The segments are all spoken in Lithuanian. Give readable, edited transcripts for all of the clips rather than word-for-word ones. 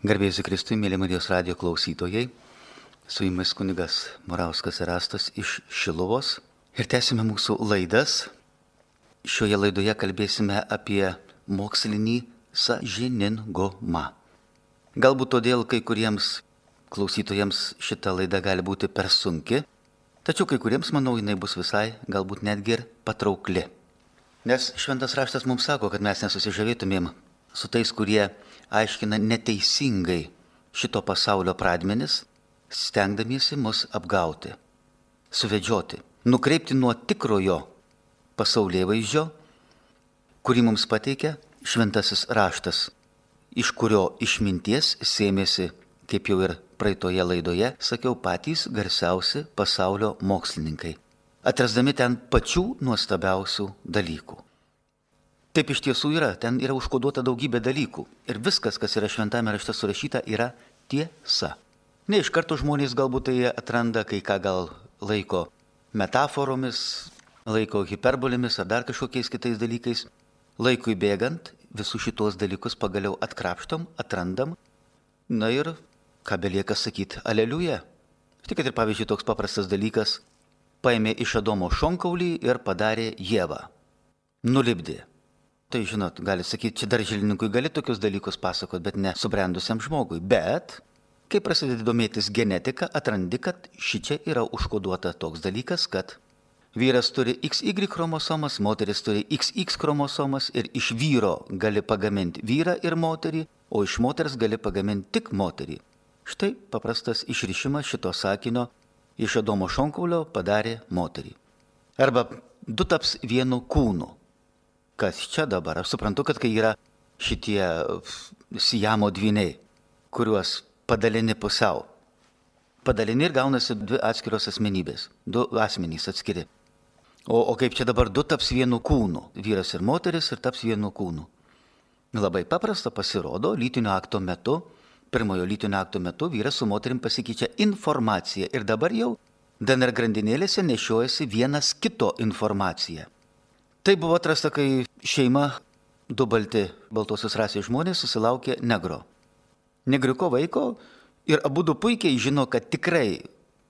Garbėjus Kristui, mėly Marijos radijo klausytojai, su jumis kunigas Morauskas Erastas iš Šiluvos ir tęsime mūsų laidas. Šioje laidoje kalbėsime apie mokslinį sąžiningumą. Galbūt todėl kai kuriems klausytojams šita laida gali būti per sunki, tačiau kai kuriems, manau, jinai bus visai, galbūt netgi ir patraukli. Nes šventas raštas mums sako, kad mes nesusižavėtumėm su tais, kurie aiškina neteisingai šito pasaulio pradmenis, stengdamiesi mus apgauti, suvedžioti, nukreipti nuo tikrojo pasaulėvaizdžio, kurį mums pateikia šventasis raštas, iš kurio išminties sėmėsi, kaip jau ir praeitoje laidoje sakiau, patys garsiausi pasaulio mokslininkai, atrasdami ten pačių nuostabiausių dalykų. Taip iš tiesų yra, ten yra užkoduota daugybė dalykų ir viskas, kas yra šventame rašte surašyta, yra tiesa. Ne iš karto žmonės galbūt tai atranda, kai ką gal laiko metaforomis, laiko hiperbolėmis ar dar kažkokiais kitais dalykais. Laikui bėgant visus šitos dalykus pagaliau atkrapštom, atrandam, na ir ką belieka sakyti, aleliuja. Tik kad ir pavyzdžiui toks paprastas dalykas, paėmė iš Adomo šonkaulį ir padarė Ievą, nulipdė. Tai žinot, gali sakyti, čia darželininkui gali tokius dalykus pasakoti, bet ne subrendusiam žmogui. Bet, kai prasidedi domėtis genetika, atrandi, kad šičia yra užkoduota toks dalykas, kad vyras turi XY chromosomas, moteris turi XX chromosomas ir iš vyro gali pagaminti vyrą ir moterį, o iš moters gali pagaminti tik moterį. Štai paprastas išrišimas šito sakinio iš Adomo šonkaulio padarė moterį. Arba du taps vienu kūnu. Kas čia dabar? Aš suprantu, kad kai yra šitie Siamo dvyniai, kuriuos padalini pusiau. Padalini ir gaunasi dvi atskiros asmenybės, du asmenys atskiri. O kaip čia dabar du taps vienu kūnu, vyras ir moteris ir taps vienu kūnu. Labai paprasta pasirodo, lytinio akto metu, pirmojo lytinio akto metu vyras su moterim pasikeičia informacija ir dabar jau DNR grandinėlėse nešiojasi vienas kito informaciją. Tai buvo atrasta, kai šeima, du baltosios rasės žmonės susilaukė negro. Negriuko vaiko ir abudu puikiai žino, kad tikrai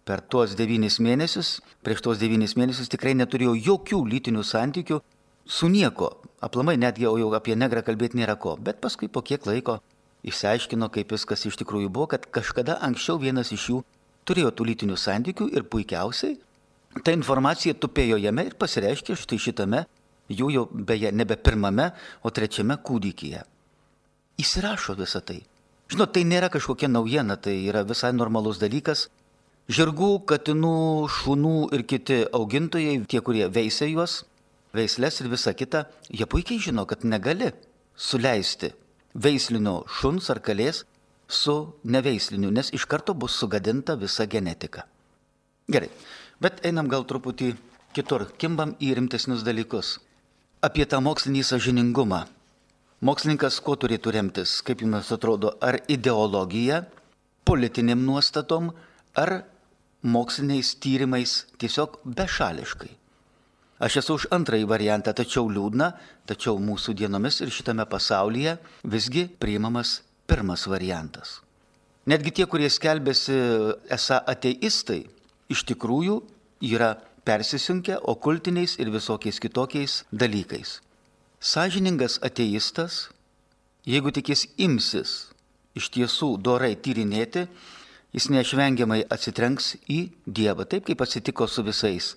per tuos 9 mėnesius, prieš tuos 9 mėnesius tikrai neturėjo jokių lytinių santykių su nieko. Aplamai netgi jau apie negrą kalbėti nėra ko. Bet paskui po kiek laiko išsiaiškino, kaip viskas iš tikrųjų buvo, kad kažkada anksčiau vienas iš jų turėjo tų lytinių santykių ir puikiausiai ta informacija tupėjo jame ir pasireiškė štai šitame, jų jau beje nebe pirmame, o trečiame kūdikyje. Įsirašo visą tai. Žinot, tai nėra kažkokia naujiena, tai yra visai normalus dalykas. Žirgų, katinų, šunų ir kiti augintojai, tie, kurie veisia juos, veislės ir visa kita, jie puikiai žino, kad negali suleisti veislinio šuns ar kalės su neveisliniu, nes iš karto bus sugadinta visa genetika. Gerai, bet einam gal truputį kitur, kimbam į rimtesnius dalykus. Apie tą mokslinį sąžiningumą. Mokslininkas kuo turėtų remtis, kaip jums atrodo, ar ideologija, politiniam nuostatom, ar moksliniais tyrimais tiesiog bešališkai. Aš esu už antrąjį variantą, tačiau liūdna, tačiau mūsų dienomis ir šitame pasaulyje visgi priimamas pirmas variantas. Netgi tie, kurie skelbėsi esą ateistai, iš tikrųjų yra persisunkę okultiniais ir visokiais kitokiais dalykais. Sąžiningas ateistas, jeigu tik jis imsis iš tiesų dorai tyrinėti, jis neišvengiamai atsitrenks į Dievą, taip kaip atsitiko su visais.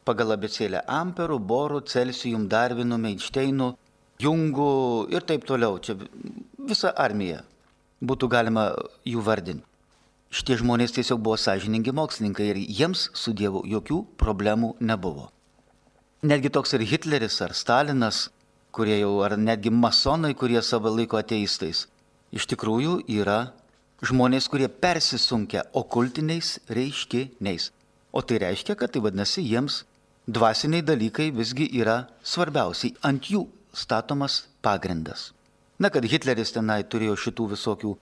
Pagal abėcėlę Amperų, Borų, Celsijum, Darvinu, Einšteinų, Jungu ir taip toliau. Čia visa armija būtų galima jų vardinti. Šitie žmonės tiesiog buvo sąžiningi mokslininkai ir jiems su Dievu jokių problemų nebuvo. Netgi toks ir Hitleris ar Stalinas, kurie jau, ar netgi masonai, kurie savo laiko ateistais, iš tikrųjų yra žmonės, kurie persisunkia okultiniais reiškiniais. O tai reiškia, kad tai vadinasi jiems dvasiniai dalykai visgi yra svarbiausiai, ant jų statomas pagrindas. Na, kad Hitleris tenai turėjo šitų visokių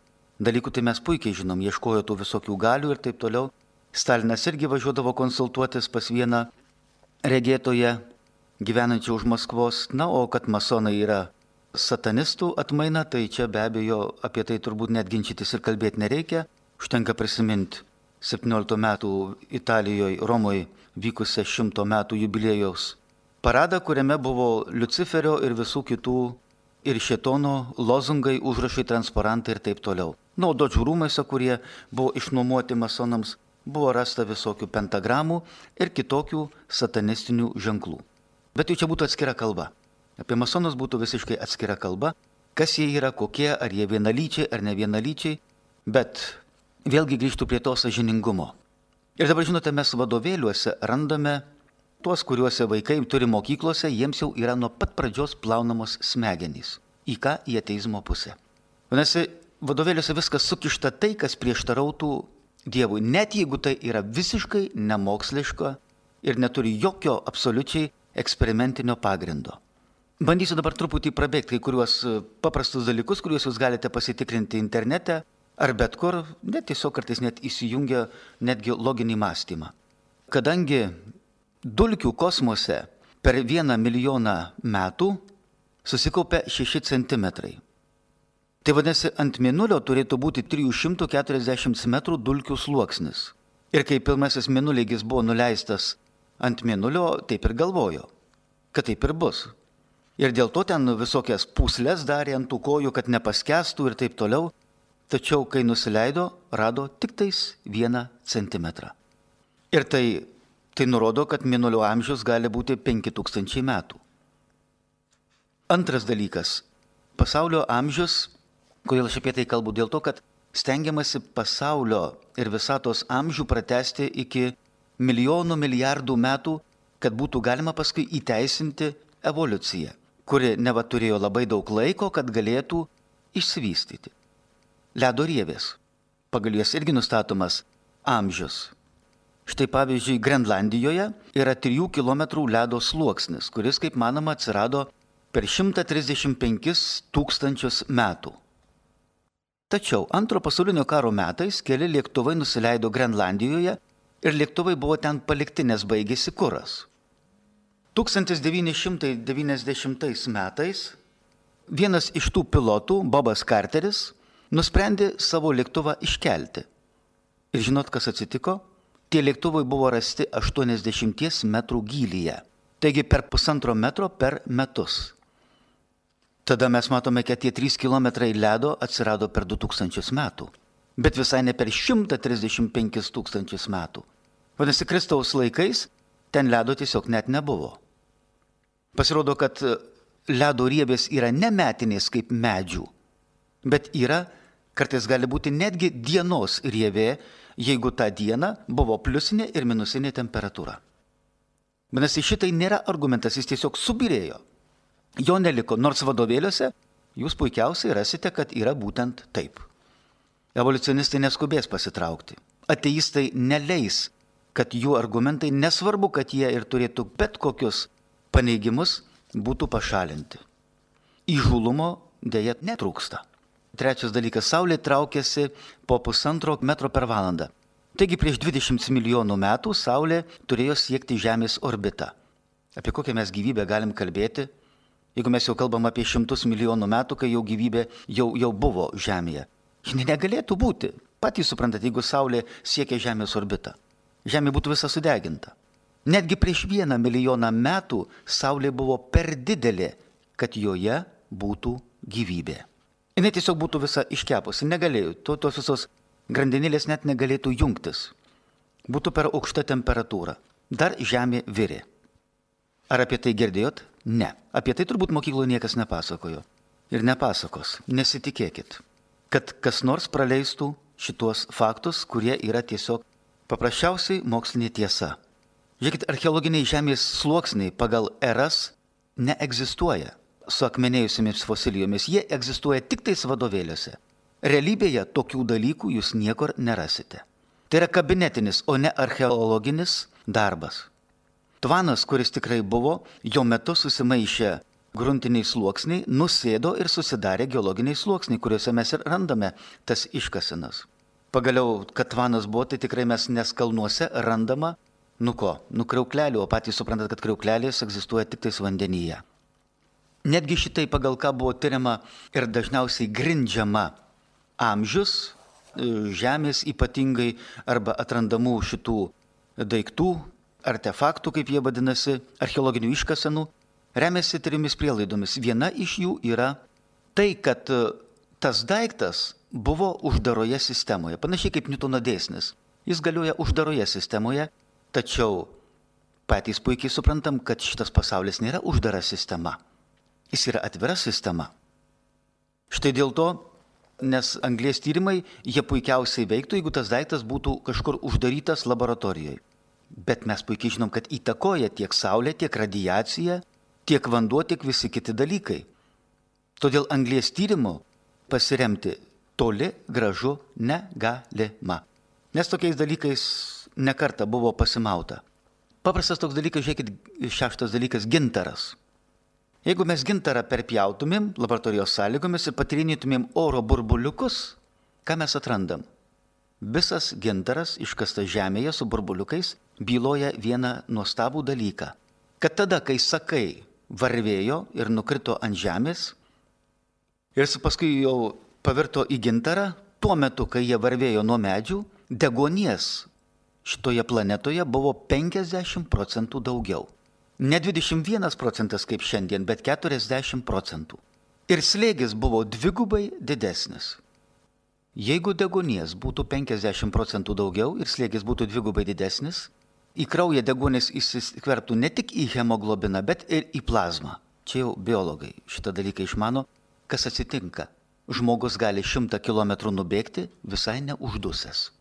dalykų, tai mes puikiai žinom, ieškojo tų visokių galių ir taip toliau. Stalinas irgi važiuodavo konsultuotis pas vieną regėtoje gyvenančią už Maskvos. Na, o kad masonai yra satanistų atmaina, tai čia be abejo apie tai turbūt net ginčytis ir kalbėti nereikia. Užtenka prisiminti 17 metų Italijoje, Romoje vykusią 100 metų jubiliejaus paradą, kuriame buvo Liuciferio ir visų kitų ir šėtono lozungai, užrašai, transparantai ir taip toliau. O Dodžių rūmuose, kurie buvo išnuomoti masonams, buvo rasta visokių pentagramų ir kitokių satanistinių ženklų. Bet jau čia būtų atskira kalba. Apie masonus būtų visiškai atskira kalba, kas jie yra, kokie, ar jie vienalyčiai ar ne vienalyčiai, bet vėlgi grįžtų prie to sąžiningumo. Ir dabar, žinote, mes vadovėliuose randame tuos, kuriuose vaikai turi mokyklose, jiems jau yra nuo pat pradžios plaunamos smegenys. Į ką? Į ateizmo pusę. Vadinasi, vadovėliuose viskas sukišta tai, kas prieštarautų Dievui, net jeigu tai yra visiškai nemoksliška ir neturi jokio absoliučiai eksperimentinio pagrindo. Bandysiu dabar truputį prabėgti kai kuriuos paprastus dalykus, kuriuos jūs galite pasitikrinti internete ar bet kur, net tiesiog kartais net įsijungia netgi loginį mąstymą. Kadangi dulkių kosmose per 1 milijoną metų susikaupia 6 centimetrai. Tai vadinasi, ant Mėnulio turėtų būti 340 metrų dulkių sluoksnis. Ir kai pirmasis mėnulėgis buvo nuleistas ant Mėnulio, taip ir galvojo, kad taip ir bus. Ir dėl to ten visokias pūslės darė ant tų kojų, kad nepaskestų ir taip toliau. Tačiau, kai nusileido, rado tik tais 1 centimetrą. Ir tai nurodo, kad Mėnulio amžius gali būti 5000 metų. Antras dalykas. Pasaulio amžius, kodėl aš apie tai kalbu, dėl to, kad stengiamasi pasaulio ir visatos amžių pratęsti iki milijonų milijardų metų, kad būtų galima paskui įteisinti evoliuciją, kuri neva turėjo labai daug laiko, kad galėtų išsivystyti. Ledo rievės. Pagal jas irgi nustatomas amžius. Štai pavyzdžiui, Grenlandijoje yra 3 km ledo sluoksnis, kuris, kaip manoma, atsirado per 135 000 metų. Tačiau Antro pasaulinio karo metais keli lėktuvai nusileido Grenlandijoje ir lėktuvai buvo ten palikti, nes baigėsi kuras. 1990 metais vienas iš tų pilotų, Bobas Carteris, nusprendė savo lėktuvą iškelti. Ir žinot, kas atsitiko? Tie lėktuvai buvo rasti 80 metrų gylyje. Taigi per 1,5 metro per metus. Tada mes matome, kad tie 3 kilometrai ledo atsirado per 2000 metų. Bet visai ne per 135 000 metų. Vadinasi, Kristaus laikais ten ledo tiesiog net nebuvo. Pasirodo, kad ledo rievės yra ne metinės kaip medžių, bet yra, kartais gali būti netgi dienos rievė, jeigu tą dieną buvo pliusinė ir minusinė temperatūra. Vadinasi, šitai nėra argumentas, jis tiesiog subyrėjo. Jo neliko, nors vadovėliuose jūs puikiausiai rasite, kad yra būtent taip. Evoliucionistai neskubės pasitraukti. Ateistai neleis, kad jų argumentai, nesvarbu, kad jie ir turėtų bet kokius paneigimus, būtų pašalinti. Įžūlumo dėja netrūksta. Trečias dalykas, Saulė traukiasi po 1,5 metro per valandą. Taigi prieš 20 milijonų metų Saulė turėjo siekti Žemės orbitą. Apie kokią mes gyvybę galim kalbėti, jeigu mes jau kalbam apie 100 milijonų metų, kai jau gyvybė jau buvo Žemėje. Ji negalėtų būti. Patys suprantate, jeigu Saulė siekia Žemės orbitą. Žemė būtų visa sudeginta. Netgi prieš 1 milijoną metų Saulė buvo per didelė, kad joje būtų gyvybė. Jis tiesiog būtų visa iškepusi, negalėjo, tos visos grandinėlės net negalėtų jungtis. Būtų per aukšta temperatūra. Dar Žemė virė. Ar apie tai girdėjot? Ne. Apie tai turbūt mokykloje niekas nepasakojo. Ir nepasakos, nesitikėkit, kad kas nors praleistų šitos faktus, kurie yra tiesiog paprasčiausiai mokslinė tiesa. Žiūrėkit, archeologiniai Žemės sluoksniai pagal eras neegzistuoja su akmenėjusiamis fosilijomis. Jie egzistuoja tik tais vadovėliuose. Realybėje tokių dalykų jūs niekur nerasite. Tai yra kabinetinis, o ne archeologinis darbas. Tvanas, kuris tikrai buvo, jo metu susimaišė gruntiniai sluoksniai, nusėdo ir susidarė geologiniai sluoksniai, kuriuose mes ir randame tas iškasenas. Pagaliau, kad tvanas buvo, tai tikrai mes nes kalnuose randama, kriauklelių, o patys suprantat, kad kriauklelės egzistuoja tik tais vandenyje. Netgi šitai pagal ką buvo tyriama ir dažniausiai grindžiama amžius, žemės ypatingai arba atrandamų šitų daiktų, artefaktų, kaip jie vadinasi, archeologinių iškasenų, remiasi 3 prielaidomis. Viena iš jų yra tai, kad tas daiktas buvo uždaroje sistemoje, panašiai kaip Niutono dėsnis. Jis galioja uždaroje sistemoje, tačiau patys puikiai suprantam, kad šitas pasaulis nėra uždara sistema. Jis yra atvira sistema. Štai dėl to, nes anglies tyrimai, jie puikiausiai veiktų, jeigu tas daiktas būtų kažkur uždarytas laboratorijoje. Bet mes puikiai žinom, kad įtakoja tiek saulė, tiek radiacija, tiek vanduo, tiek visi kiti dalykai. Todėl anglies tyrimu pasiremti toli gražu negalima. Nes tokiais dalykais nekartą buvo pasimauta. Paprastas toks dalykas, žiūrėkit, 6 dalykas – gintaras. Jeigu mes gintarą perpjautumėm laboratorijos sąlygomis ir patyrinėtumėm oro burbuliukus, ką mes atrandam? Visas gintaras iškastas žemėje su burbuliukais byloja vieną nuostabų dalyką. Kad tada, kai sakai varvėjo ir nukrito ant žemės ir paskui jau pavirto į gintarą, tuo metu, kai jie varvėjo nuo medžių, deguonies šitoje planetoje buvo 50% daugiau. Ne 21 procentas kaip šiandien, bet 40%. Ir slėgis buvo 2 didesnis. Jeigu deguonies būtų 50% daugiau ir slėgis būtų 2 didesnis, į kraują deguonis įsiskverbtų ne tik į hemoglobiną, bet ir į plazmą. Čia jau biologai šitą dalyką išmano, kas atsitinka. Žmogus gali 100 km nubėgti visai neuždusęs.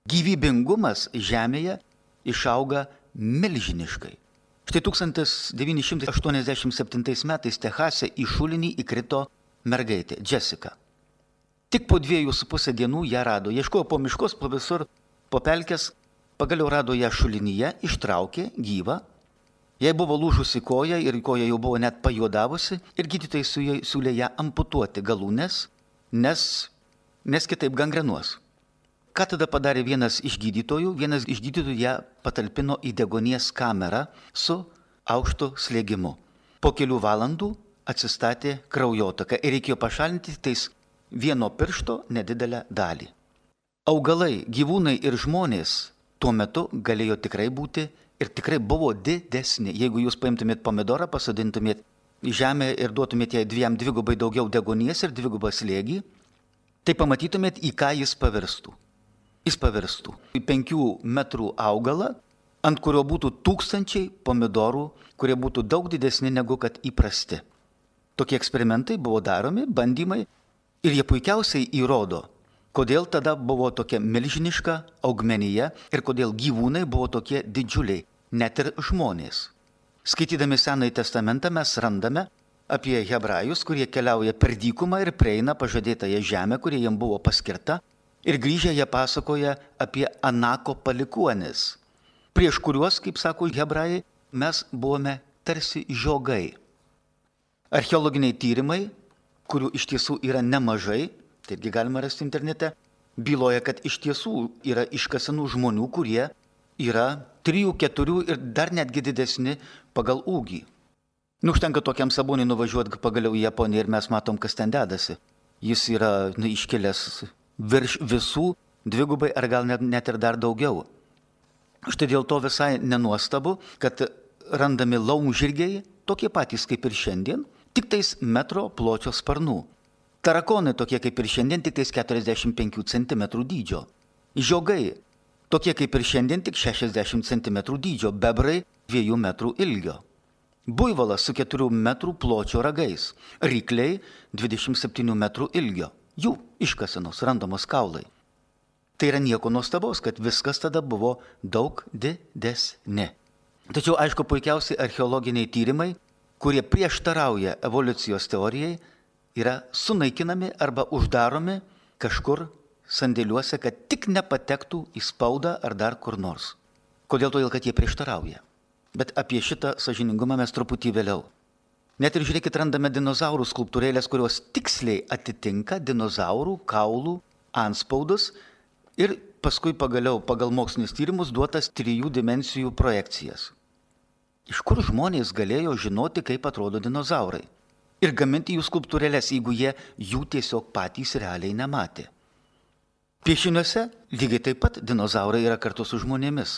Gyvybingumas Žemėje išauga milžiniškai. Štai 1987 metais Texase į šulinį įkrito mergaitė, Jessica. Tik po 2,5 dienų ją rado. Ieškojo po miškos, po visur, po pelkės, pagaliau rado ją šulinyje, ištraukė gyvą. Jai buvo lūžusi koja ir koja jau buvo net pajuodavusi ir gydytojai siūlė ją amputuoti galūnes, nes kitaip gangrenuos. Ką tada padarė vienas iš gydytojų? Vienas iš gydytojų ją patalpino į deguonies kamerą su aukštu slėgimu. Po kelių valandų atsistatė kraujotaka ir reikėjo pašalinti tais vieno piršto nedidelę dalį. Augalai, gyvūnai ir žmonės tuo metu galėjo tikrai būti ir tikrai buvo didesni. Jeigu jūs paimtumėt pomidorą, pasodintumėt į žemę ir duotumėt jai 2 daugiau deguonies ir 2 slėgį, tai pamatytumėt, į ką jis pavirstų. Jis pavirstų į 5 metrų augalą, ant kurio būtų 1000 pomidorų, kurie būtų daug didesni negu kad įprasti. Tokie eksperimentai buvo daromi, bandymai, ir jie puikiausiai įrodo, kodėl tada buvo tokia milžiniška augmenija ir kodėl gyvūnai buvo tokie didžiuliai, net ir žmonės. Skaitydami Senąjį testamentą mes randame apie hebrajus, kurie keliauja per dykumą ir prieina pažadėtąją žemę, kurie jiems buvo paskirta. Ir grįžę jie pasakoja apie Anako palikuonis, prieš kuriuos, kaip sako hebrajai, mes buvome tarsi žiogai. Archeologiniai tyrimai, kurių iš tiesų yra nemažai, taigi galima rasti internete, byloja, kad iš tiesų yra iškasenų žmonių, kurie yra 3, 4 ir dar netgi didesni pagal ūgį. Užtenka tokiam Saboniui nuvažiuoti pagaliau į Japoniją ir mes matom, kas ten dedasi. Jis yra iškilęs virš visų 2 ar gal net ir dar daugiau. Štai dėl to visai nenuostabu, kad randami laumžirgiai, tokie patys kaip ir šiandien, tik tais metro pločio sparnų. Tarakonai tokie kaip ir šiandien, tik tais 45 cm dydžio. Žiogai tokie kaip ir šiandien, tik 60 cm dydžio. Bebrai 2 metrų ilgio. Buivolas su 4 metrų pločio ragais. Rykliai 27 metrų ilgio. Jų iškasenos randamos kaulai. Tai yra nieko nuostabaus, kad viskas tada buvo daug didesni. Tačiau, aišku, puikiausiai archeologiniai tyrimai, kurie prieštarauja evoliucijos teorijai, yra sunaikinami arba uždaromi kažkur sandėliuose, kad tik nepatektų į spaudą ar dar kur nors. Kodėl? Todėl, kad jie prieštarauja. Bet apie šitą sąžiningumą mes truputį vėliau. Net ir žiūrėkit, randame dinozaurų skulptūrėlės, kurios tiksliai atitinka dinozaurų kaulų anspaudus ir paskui pagaliau pagal mokslinius tyrimus duotas 3 dimensijų projekcijas. Iš kur žmonės galėjo žinoti, kaip atrodo dinozaurai? Ir gaminti jų skulptūrėlės, jeigu jie jų tiesiog patys realiai nematė. Piešiniuose lygiai taip pat dinozaurai yra kartu su žmonėmis.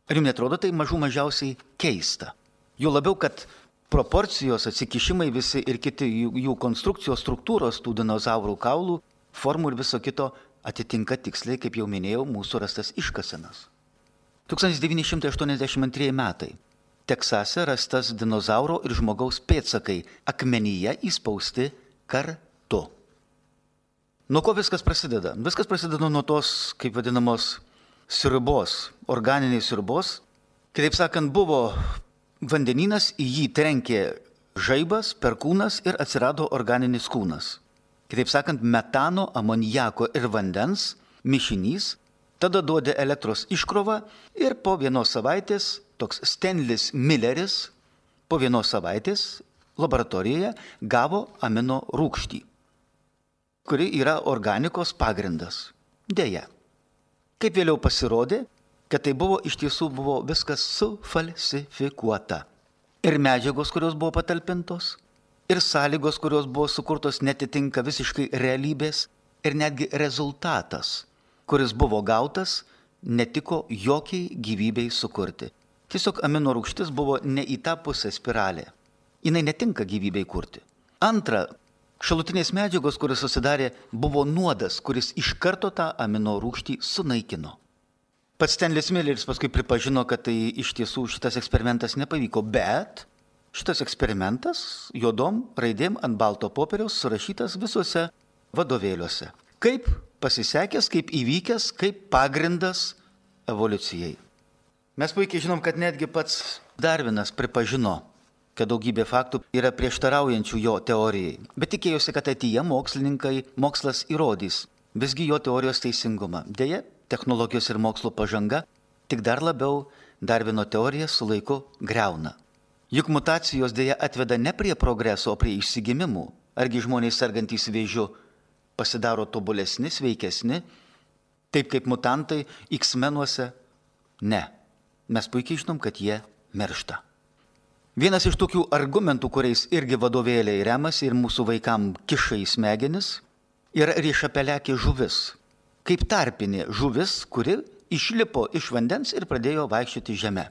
Ar jums netrodo tai mažiausiai keista? Jo labiau, kad proporcijos, atsikišimai visi ir kiti jų konstrukcijos struktūros, tų dinozaurų kaulų, formų ir viso kito atitinka tiksliai, kaip jau minėjau, mūsų rastas iškasenas. 1982 metai. Teksase rastas dinozauro ir žmogaus pėdsakai akmenyje įspausti kartu. Nuo ko viskas prasideda? Viskas prasideda nuo tos, kaip vadinamos, sriubos, organinės sriubos. Kitaip sakant, buvo vandenynas, į jį trenkė žaibas, perkūnas ir atsirado organinis kūnas. Kitaip sakant, metano, amonijako ir vandens mišinys, tada duodė elektros iškrovą ir po vienos savaitės toks Stanlis Milleris po vienos savaitės laboratorijoje gavo amino rūgštį, kuri yra organikos pagrindas. Deja, kaip vėliau pasirodė, kad tai iš tiesų buvo viskas sufalsifikuota. Ir medžiagos, kurios buvo patalpintos, ir sąlygos, kurios buvo sukurtos, netitinka visiškai realybės, ir netgi rezultatas, kuris buvo gautas, netiko jokiai gyvybei sukurti. Tiesiog amino rūgštis buvo ne į tą pusę spiralė. Jinai netinka gyvybei kurti. Antra, šalutinės medžiagos, kuris susidarė, buvo nuodas, kuris iš karto tą amino rūgštį sunaikino. Pats Stanlis Milleris paskui pripažino, kad tai iš tiesų šitas eksperimentas nepavyko, bet šitas eksperimentas juodom raidėm ant balto popieriaus surašytas visuose vadovėliuose. Kaip pasisekęs, kaip įvykęs, kaip pagrindas evoliucijai. Mes puikiai žinom, kad netgi pats Darvinas pripažino, kad daugybė faktų yra prieštaraujančių jo teorijai, bet tikėjosi, kad ateityje mokslas įrodys visgi jo teorijos teisingumą. Deja, technologijos ir mokslo pažanga tik dar labiau Darvino teoriją su laiku greuna. Juk mutacijos deja atveda ne prie progreso, o prie išsigimimų. Argi žmonės sergantys vėžiu pasidaro tobulesni, sveikesni, taip kaip mutantai X-menuose? Ne. Mes puikiai žinom, kad jie miršta. Vienas iš tokių argumentų, kuriais irgi vadovėliai remasi ir mūsų vaikam kiša į smegenis, yra riešapelekė žuvis. Kaip tarpinė žuvis, kuri išlipo iš vandens ir pradėjo vaikščioti žeme.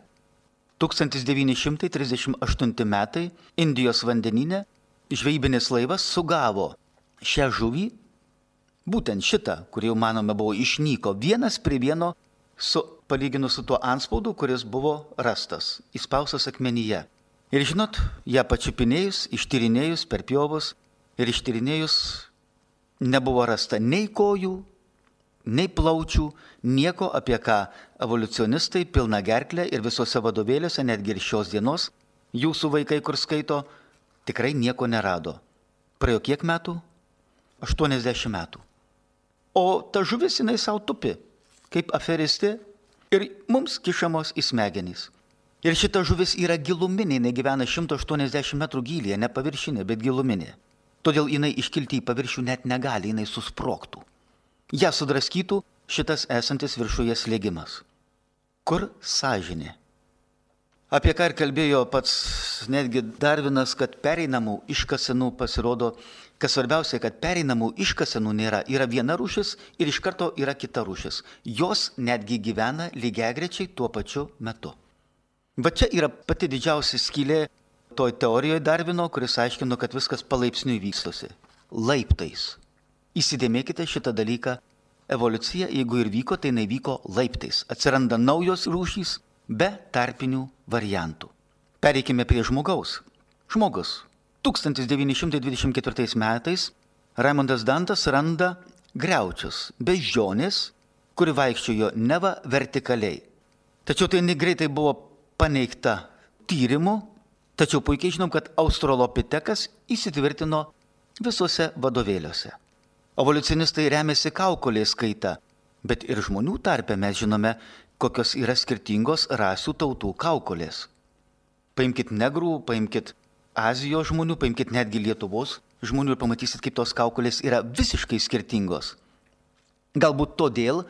1938 metai Indijos vandenyne žvejybinis laivas sugavo šią žuvį, būtent šitą, kuri jau manome buvo išnyko, vienas prie vieno palyginus su tuo antspaudu, kuris buvo rastas, įspaustas akmenyje. Ir žinot, ją pačiupinėjus, ištyrinėjus per pjovus ir ištyrinėjus nebuvo rasta nei kojų, nei plaučių, nieko, apie ką evoliucionistai pilna gerklė ir visose vadovėliuose, netgi ir šios dienos, jūsų vaikai, kur skaito, tikrai nieko nerado. Praėjo kiek metų? 80 metų. O ta žuvis jinai savo tupi, kaip aferistė, ir mums kišamos į smegenys. Ir šita žuvis yra giluminė, jinai gyvena 180 metrų gylyje, ne paviršinė, bet giluminė. Todėl jinai iškilti į paviršių net negali, jinai susprogtų. Ja sudraskytų šitas esantis viršuje slėgimas. Kur sąžinė? Apie ką ir kalbėjo pats netgi Darvinas, kad pereinamų iškasenų pasirodo, kas svarbiausia, kad pereinamų iškasenų nėra. Yra viena rūšis ir iš karto yra kita rūšis. Jos netgi gyvena lygiagrečiai tuo pačiu metu. Va čia yra pati didžiausia skylė toj teorijoje Darvino, kuris aiškino, kad viskas palaipsniui vystosi. Laiptais. Įsidėmėkite šitą dalyką. Evoliucija, jeigu ir vyko, tai nevyko laiptais. Atsiranda naujos rūšys be tarpinių variantų. Pereikime prie žmogaus. Žmogus. 1924 metais Raimondas Dantas randa griaučius, beždžionės, kuri vaikščiojo neva vertikaliai. Tačiau tai greitai buvo paneigta tyrimu, tačiau puikiai žinom, kad australopitekas įsitvirtino visuose vadovėliuose. Evoliucionistai remiasi kaukolės kaita, bet ir žmonių tarpe mes žinome, kokios yra skirtingos rasių tautų kaukolės. Paimkit negrų, paimkit Azijos žmonių, paimkit netgi Lietuvos žmonių ir pamatysit, kaip tos kaukolės yra visiškai skirtingos. Galbūt todėl,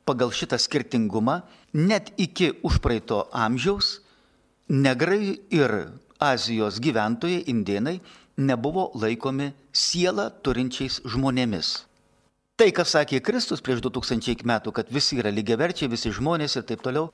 pagal šitą skirtingumą, net iki užpraeito amžiaus negrai ir Azijos gyventojai, indėnai, nebuvo laikomi sielą turinčiais žmonėmis. Tai, kas sakė Kristus prieš 2000 metų, kad visi yra lygiaverčiai, visi žmonės ir taip toliau,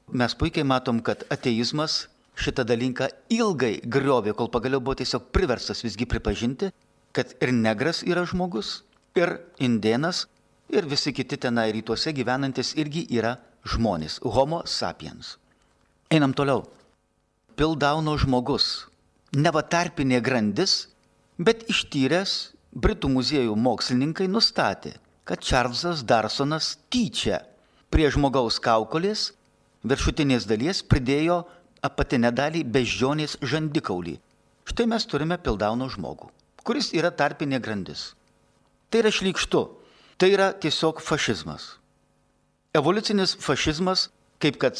mes puikiai matom, kad ateizmas šitą dalyką ilgai griovė, kol pagaliau buvo tiesiog priverstas visgi pripažinti, kad ir negras yra žmogus, ir indėnas, ir visi kiti tenai rytuose gyvenantis irgi yra žmonės, homo sapiens. Einam toliau. Pildauno žmogus, neva tarpinė grandis, bet ištyręs Britų muziejų mokslininkai nustatė, kad Čarlzas Darsonas tyčia prie žmogaus kaukolės viršutinės dalies pridėjo apatinę dalį beždžionės žandikaulį. Štai mes turime Pildauno žmogų, kuris yra tarpinė grandis. Tai yra šlykštu, tai yra tiesiog fašizmas. Evoliucinis fašizmas, kaip kad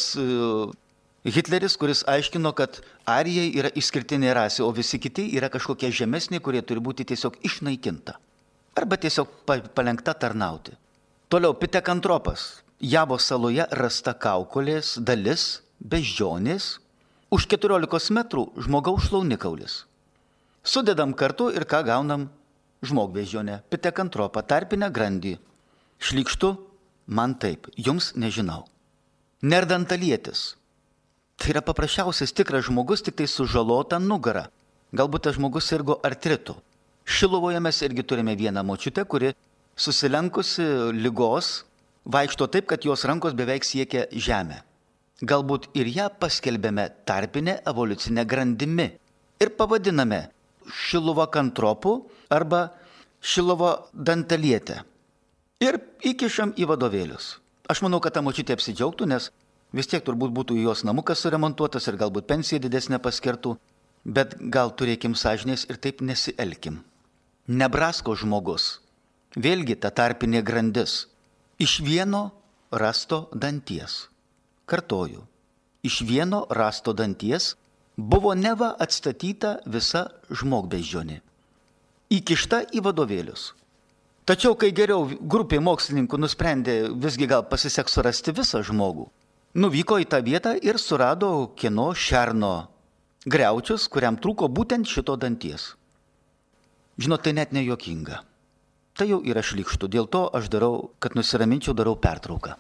Hitleris, kuris aiškino, kad arijai yra išskirtinė rasė, o visi kiti yra kažkokie žemesni, kurie turi būti tiesiog išnaikinta. Arba tiesiog palenkta tarnauti. Toliau Pitekantropas. Javos saloje rasta kaukolės dalis beždžionės, už 14 metrų žmogaus šlaunikaulis. Sudedam kartu ir ką gaunam? Žmogbeždžionę, Pitekantropą, tarpinę grandį. Šlykštu? Man taip, jums nežinau. Nerdantalietis. Tai yra paprasčiausias tikras žmogus, tik tai sužalota nugara. Galbūt tas žmogus sirgo artritu. Šiluvoje mes irgi turime vieną močiutę, kuri susilenkusi ligos vaikšto taip, kad jos rankos beveik siekia žemę. Galbūt ir ją paskelbėme tarpinę evoliucinę grandimi ir pavadiname Šiluvo kantropu arba Šiluvo dantalietę. Ir įkišam į vadovėlius. Aš manau, kad ta močiutė apsidžiaugtų, nes vis tiek turbūt būtų jos namukas suremontuotas ir galbūt pensija didesnė paskirtų, bet gal turėkim sąžinės ir taip nesielkim. Nebrasko žmogus, vėlgi ta tarpinė grandis, iš vieno rasto danties. Kartoju, iš vieno rasto danties buvo neva atstatyta visa žmogbeždžionė, įkišta į vadovėlius. Tačiau, kai geriau grupė mokslininkų nusprendė visgi gal pasiseks surasti visą žmogų, nuvyko į tą vietą ir surado kieno šerno griaučius, kuriam trūko būtent šito danties. Žinot, tai net nejuokinga. Tai jau yra šlykštu, dėl to aš darau, kad nusiraminčiau, darau pertrauką.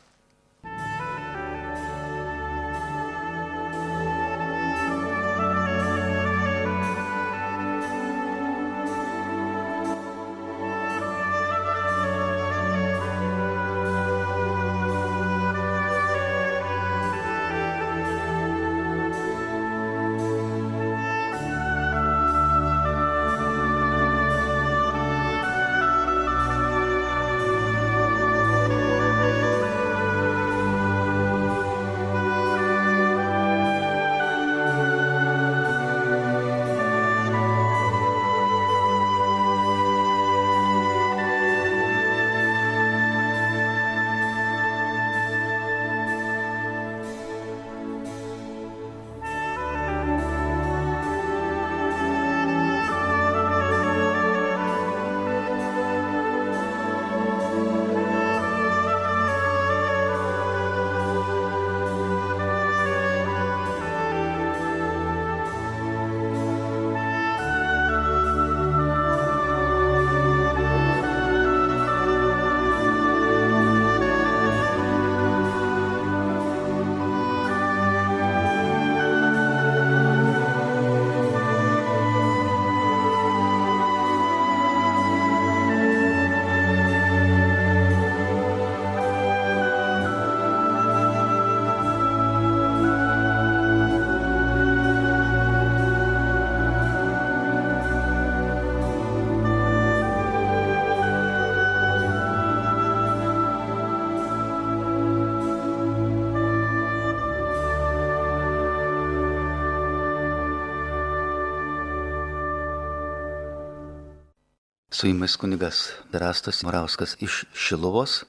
Su jumis kunigas Erastas Morauskas iš Šiluvos.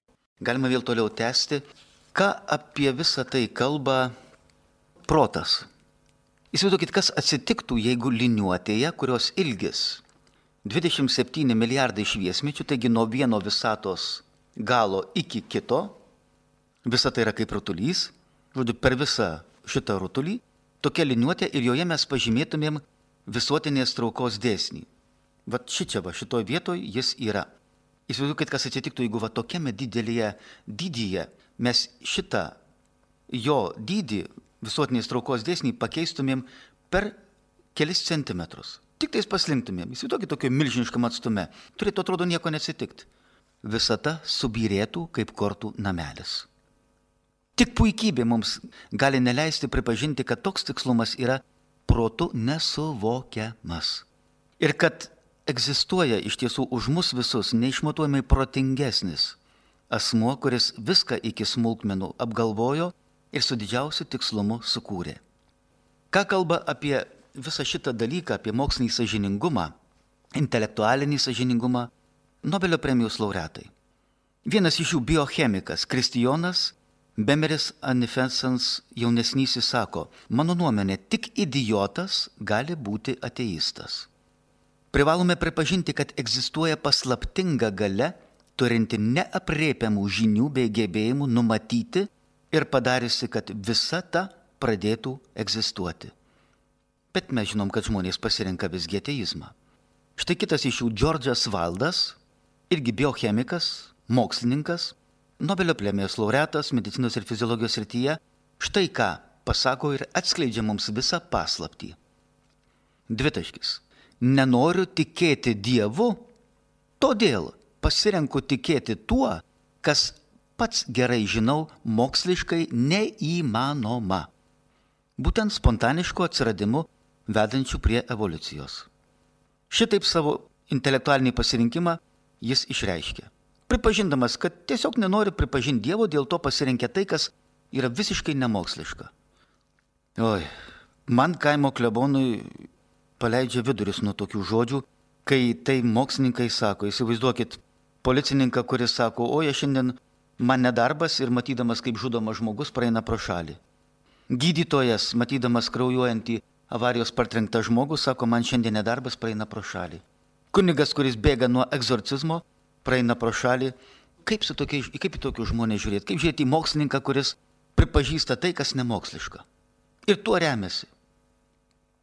Galima vėl toliau tęsti, ką apie visą tai kalba protas. Įsivaizduokit, kas atsitiktų, jeigu liniuotėje, kurios ilgis 27 milijardai šviesmečių, taigi nuo vieno visatos galo iki kito, visa tai yra kaip rutulys, žodžiu, per visą šitą rutulį tokia liniuotė ir joje mes pažymėtumėm visuotinės traukos dėsnį. Vat šitoj vietoj jis yra. Įsivaizduokit, kas atsitiktų, jeigu tokiame didyje mes šitą jo dydį visuotinės traukos dėsnį pakeistumėm per kelis centimetrus. Tik tais paslinktumėm. Įsivaizduokit tokio milžiniškam atstume. Turėtų atrodo nieko neatsitikti. Visata subyrėtų kaip kortų namelis. Tik puikybė mums gali neleisti pripažinti, kad toks tikslumas yra protu nesuvokiamas. Ir kad egzistuoja iš tiesų už mus visus neišmatuojamai protingesnis asmuo, kuris viską iki smulkmenų apgalvojo ir su didžiausiu tikslumu sukūrė. Ką kalba apie visą šitą dalyką, apie mokslinį sąžiningumą, intelektualinį sąžiningumą, Nobelio premijos laureatai. Vienas iš jų biochemikas Kristijonas Bemeris Anifensans jaunesnysis sako, mano nuomonė, tik idiotas gali būti ateistas. Privalome pripažinti, kad egzistuoja paslaptinga galia, turinti neaprėpiamų žinių bei gebėjimų numatyti ir padariusi, kad visata pradėtų egzistuoti. Bet mes žinom, kad žmonės pasirenka visgi ateizmą. Štai kitas iš jų Džordžas Valdas, irgi biochemikas, mokslininkas, Nobelio premijos laureatas medicinos ir fiziologijos srityje, štai ką pasako ir atskleidžia mums visą paslaptį. Dvitaškis. Nenoriu tikėti Dievu, todėl pasirenku tikėti tuo, kas pats gerai žinau moksliškai neįmanoma. Būtent spontanišku atsiradimu vedančių prie evoliucijos. Šitaip savo intelektualinį pasirinkimą jis išreiškė. Pripažindamas, kad tiesiog nenori pripažinti Dievo, dėl to pasirinkė tai, kas yra visiškai nemoksliška. Man kaimo klebonui paleidžia viduris nuo tokių žodžių, kai tai mokslininkai sako, įsivaizduokit, policininką, kuris sako, šiandien man nedarbas ir matydamas, kaip žudomas žmogus, praeina pro šalį. Gydytojas, matydamas kraujuojantį avarijos partrenktą žmogų, sako, man šiandien nedarbas, praeina pro šalį. Kunigas, kuris bėga nuo egzorcizmo, praeina pro šalį. Kaip į tokius žmonės žiūrėti? Kaip žiūrėti į mokslininką, kuris pripažįsta tai, kas nemoksliška? Ir tuo remiasi.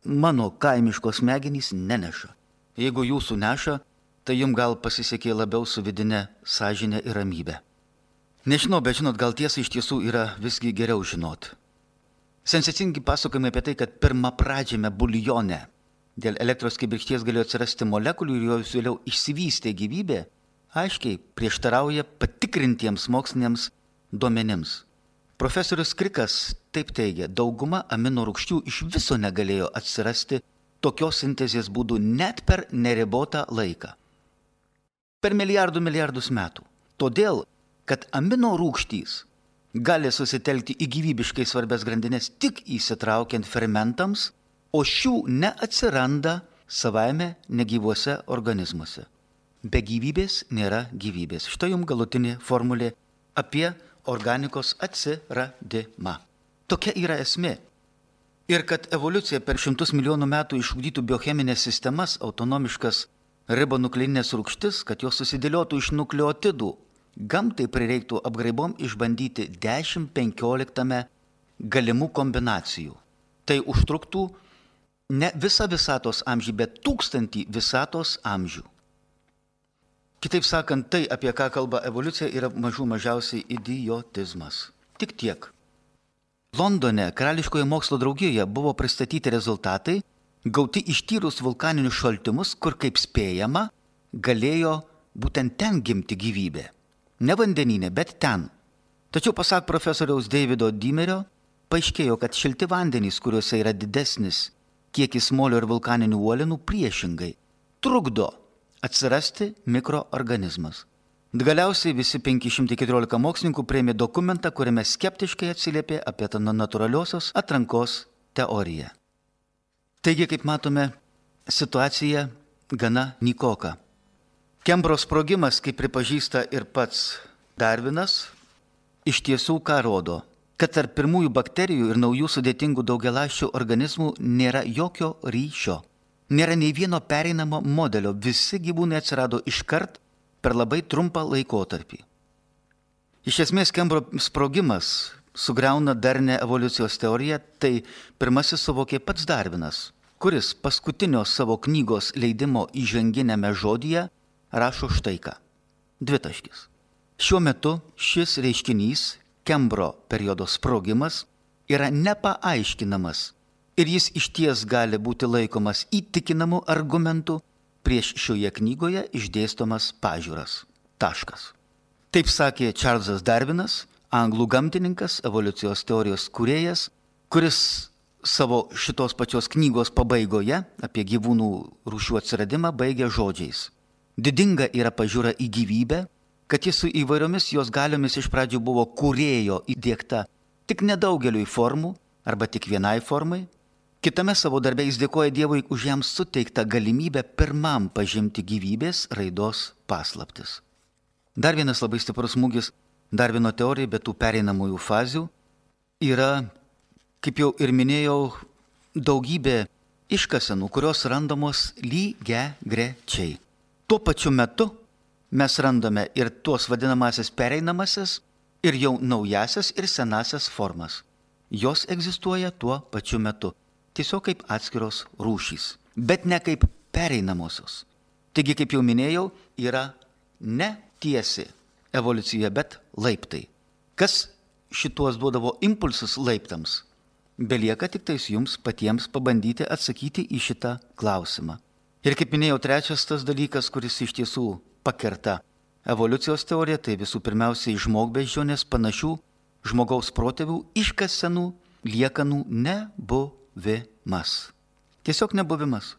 Mano kaimiškos smegenys neneša. Jeigu jūsų neša, tai jums gal pasisekė labiau su vidine sąžinė ir ramybė. Nežinau, bet žinot, gal tiesa iš tiesų yra visgi geriau žinot. Sensacingi pasakojimai apie tai, kad pirmapradžiame buljone dėl elektros kibirkšties galėjo atsirasti molekulių ir jos vėliau išsivystė gyvybė, aiškiai prieštarauja patikrintiems moksliniams duomenims. Profesorius Krikas taip teigia, dauguma amino rūgščių iš viso negalėjo atsirasti tokios sintezės būdų net per neribotą laiką. Per milijardus metų. Todėl, kad amino rūgštys gali susitelkti į gyvybiškai svarbias grandines tik įsitraukiant fermentams, o šių neatsiranda savaime negyvuose organizmuose. Be gyvybės nėra gyvybės. Štai jums galutinė formulė apie organikos atsiradimą. Tokia yra esmė. Ir kad evoliucija per 100 milijonų metų išugdytų biocheminės sistemas, autonomiškas ribonukleinės rūgštis, kad jos susidėliotų iš nukleotidų, gamtai prireiktų apgraibom išbandyti 10-15 galimų kombinacijų. Tai užtruktų ne visą visatos amžių, bet 1000 visatos amžių. Kitaip sakant, tai, apie ką kalba evoliucija, yra mažiausiai idiotizmas. Tik tiek. Londone Karališkoje mokslo draugijoje buvo pristatyti rezultatai, gauti ištyrus vulkaninius šaltimus, kur, kaip spėjama, galėjo būtent ten gimti gyvybė. Ne vandenyne, bet ten. Tačiau, pasak profesoriaus Davido Dimerio, paaiškėjo, kad šilti vandenys, kuriuose yra didesnis kiekis molio ir vulkaninių uolienų, priešingai trukdo atsirasti mikroorganizmas. Galiausiai visi 514 mokslininkų priėmė dokumentą, kuriame skeptiškai atsiliepė apie tą natūraliosios atrankos teoriją. Taigi, kaip matome, situacija gana nykoka. Kembro sprogimas, kaip pripažįsta ir pats Darvinas, iš tiesų ką rodo, kad tarp pirmųjų bakterijų ir naujų sudėtingų daugialąsčių organizmų nėra jokio ryšio. Nėra nei vieno pereinamo modelio, visi gyvūnai atsirado iškart per labai trumpą laikotarpį. Iš esmės, Kembro sprogimas sugriauna darnę evoliucijos teoriją, tai pirmasis suvokė pats Darvinas, kuris paskutinio savo knygos leidimo įžanginėme žodyje rašo štai ką. Dvitaškis. Šiuo metu šis reiškinys, Kembro periodo sprogimas, yra nepaaiškinamas ir jis išties gali būti laikomas įtikinamu argumentu prieš šioje knygoje išdėstomas pažiūras. Taškas. Taip sakė Čarlzas Darvinas, anglų gamtininkas, evoliucijos teorijos kūrėjas, kuris savo šitos pačios knygos pabaigoje apie gyvūnų rūšių atsiradimą baigia žodžiais. Didinga yra pažiūra į gyvybę, kad jis su įvairiomis jos galiomis iš pradžių buvo kūrėjo įdiegta tik nedaugeliui formų arba tik vienai formai. Kitame savo darbe jis dėkoja Dievui už jam suteiktą galimybę pirmam pažinti gyvybės raidos paslaptis. Dar vienas labai stiprus smūgis Darvino teorijai, be tų pereinamųjų fazių, yra, kaip jau ir minėjau, daugybė iškasenų, kurios randamos lygiagrečiai. Tuo pačiu metu mes randame ir tuos vadinamasis pereinamasis, ir jau naujasias ir senasias formas. Jos egzistuoja tuo pačiu metu, tiesiog kaip atskiros rūšys, bet ne kaip pereinamosios. Taigi, kaip jau minėjau, yra ne tiesi evoliucija, bet laiptai. Kas šituos duodavo impulsus laiptams? Belieka tik tais jums patiems pabandyti atsakyti į šitą klausimą. Ir kaip minėjau, trečias tas dalykas, kuris iš tiesų pakerta evoliucijos teoriją, tai visų pirmiausiai žmogbeždžionės panašių žmogaus protėvių iškasenų liekanų nebuvimas. Tiesiog nebuvimas.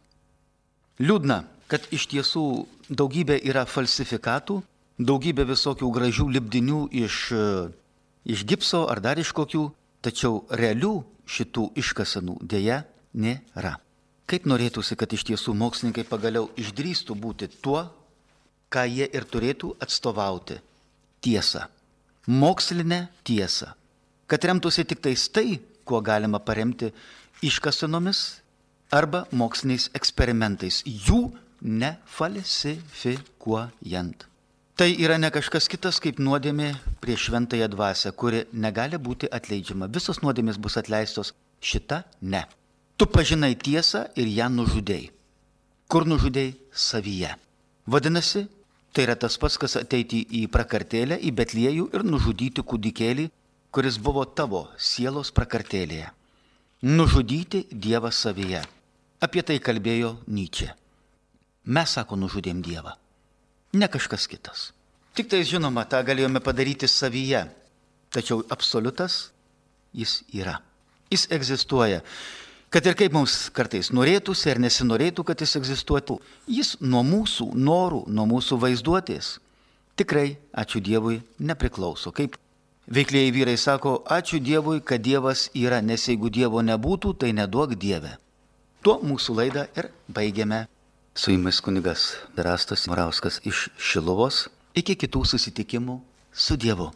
Liūdna, kad iš tiesų daugybė yra falsifikatų, daugybė visokių gražių lipdinių iš gipso ar dar iš kokių, tačiau realių šitų iškasenų dėja nėra. Kaip norėtųsi, kad iš tiesų mokslininkai pagaliau išdrįstų būti tuo, ką jie ir turėtų atstovauti – tiesą. Mokslinę tiesą. Kad remtųsi tik tais tai, kuo galima paremti iškasenomis arba moksliniais eksperimentais, jų nefalsifikuojant. Tai yra ne kažkas kitas kaip nuodėmė prieš šventąją dvasią, kuri negali būti atleidžiama. Visos nuodėmės bus atleistos, šita ne. Tu pažinai tiesą ir ją nužudei. Kur nužudei? Savyje. Vadinasi, tai yra tas pats, kas ateiti į prakartėlę, į Betliejų ir nužudyti kūdikėlį, kuris buvo tavo sielos prakartėlėje. Nužudyti Dievą savyje. Apie tai kalbėjo Nyčė. Mes, sako, nužudėm Dievą. Ne kažkas kitas. Tik tai, žinoma, tą galėjome padaryti savyje. Tačiau absoliutas jis yra. Jis egzistuoja. Kad ir kaip mums kartais norėtųsi ar nesinorėtų, kad jis egzistuotų, jis nuo mūsų norų, nuo mūsų vaizduotės tikrai, ačiū Dievui, nepriklauso. Kaip veiklieji vyrai sako, ačiū Dievui, kad Dievas yra, nes jeigu Dievo nebūtų, tai neduok Dieve. Tuo mūsų laidą ir baigiame. Su jumis kunigas Rastas Morauskas iš Šiluvos. Iki kitų susitikimų su Dievu.